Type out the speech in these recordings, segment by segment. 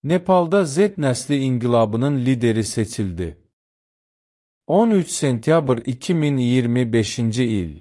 Nepalda Z nəsli inqilabının lideri seçildi. 13 sentyabr 2025-ci il.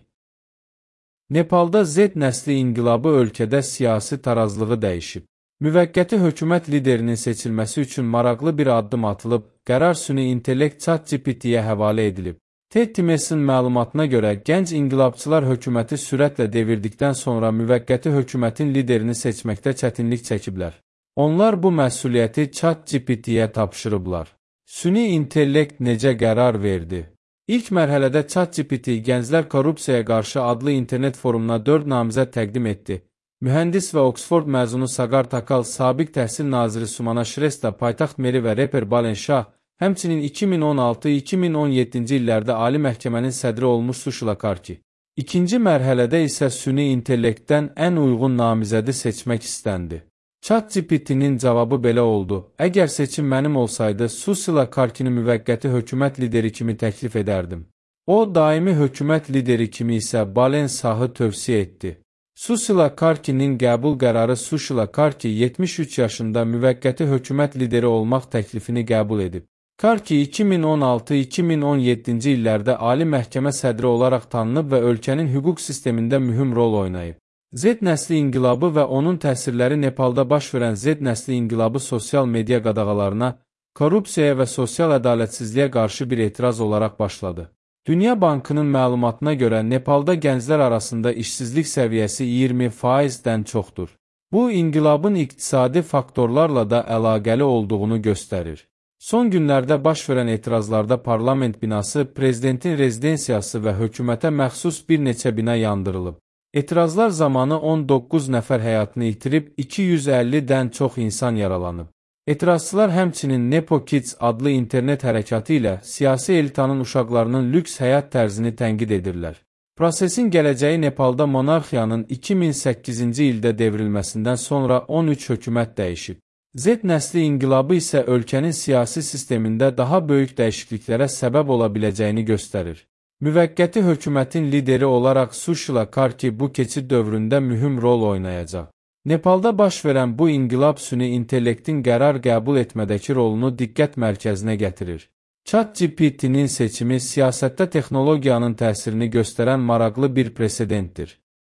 Nepalda Z nəsli inqilabı ölkədə siyasi tarazlığı dəyişib. Müvəqqəti hökumət liderinin seçilməsi üçün maraqlı bir addım atılıb, qərar süni intellekt ChatGPT-yə həvalə edilib. TED-in məlumatına görə, gənc inqilabçılar hökuməti sürətlə devirdikdən sonra müvəqqəti hökumətin liderini seçməkdə çətinlik çəkiblər. Onlar bu məsuliyyəti ChatGPT-yə tapşırıblar. Süni intellekt necə qərar verdi? İlk mərhələdə ChatGPT Gənclər Korrupsiyaya qarşı adlı internet forumuna 4 namizəd təqdim etdi. Mühəndis və Oxford məzunu Sagar Takal, sabiq təhsil naziri Sumana Shrestha, paytaxt meri və reper Balen Shah, həmçinin 2016-2017-ci illərdə Ali Məhkəmənin sədri olmuş Sushila Karki. İkinci mərhələdə isə süni intellektdən ən uyğun namizədi seçmək istəndi. ChatGPT-nin cavabı belə oldu: əgər seçim mənim olsaydı, Sushila Karkini müvəqqəti hökumət lideri kimi təklif edərdim. O, daimi hökumət lideri kimi isə Balen Shahı tövsiyə etdi. Sushila Karkinin qəbul qərarı Sushila Karki 73 yaşında müvəqqəti hökumət lideri olmaq təklifini qəbul edib. Karki 2016-2017-ci illərdə Ali Məhkəmə sədri olaraq tanınıb və ölkənin hüquq sistemində mühüm rol oynayıb. Z nəsli inqilabı və onun təsirləri Nepalda baş verən Z nəsli inqilabı sosial media qadağalarına, korrupsiyaya və sosial ədalətsizliyə qarşı bir etiraz olaraq başladı. Dünya Bankının məlumatına görə Nepalda gənclər arasında işsizlik səviyyəsi 20%-dən çoxdur. Bu, inqilabın iqtisadi faktorlarla da əlaqəli olduğunu göstərir. Son günlərdə baş verən etirazlarda parlament binası, prezidentin rezidensiyası və hökumətə məxsus bir neçə bina yandırılıb. Etirazlar zamanı 19 nəfər həyatını itirib, 250-dən çox insan yaralanıb. Etirazçılar həmçinin Nepo Kids adlı internet hərəkatı ilə siyasi elitanın uşaqlarının lüks həyat tərzini tənqid edirlər. Prosesin gələcəyi Nepalda monarxiyanın 2008-ci ildə devrilməsindən sonra 13 hökumət dəyişib. Z nəsli inqilabı isə ölkənin siyasi sistemində daha böyük dəyişikliklərə səbəb ola biləcəyini göstərir. Müvəqqəti hökumətin lideri olaraq Sushila Karki bu keçid dövründə mühüm rol oynayacaq. Nepalda baş verən bu inqilab süni intellektin qərar qəbul etmədəki rolunu diqqət mərkəzinə gətirir. ChatGPT-nin seçimi siyasətdə texnologiyanın təsirini göstərən maraqlı bir presedentdir.